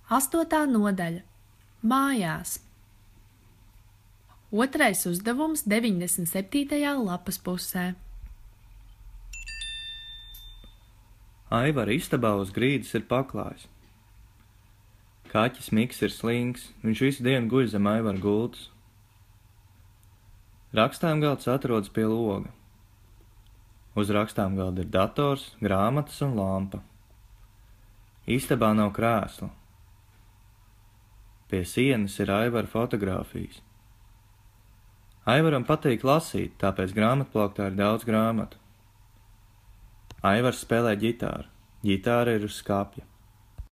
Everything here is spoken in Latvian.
8. nodaļa – Mājās. Otrais uzdevums 97. lapas pusē. Aivara istabā uz grīdas ir paklājs. Kaķis Miks ir slings, viņš visu dienu guļ zem Aivara gultas. Rakstāmgalds atrodas pie loga. Uz rakstāmgalda ir dators, grāmatas un lampa. Istabā nav krēsla. Pie sienas ir Aivara fotogrāfijas. Aivaram patīk lasīt, tāpēc grāmatplauktā ir daudz grāmatu. Aivars spēlē ģitāru. Ģitāra ir uz skapja.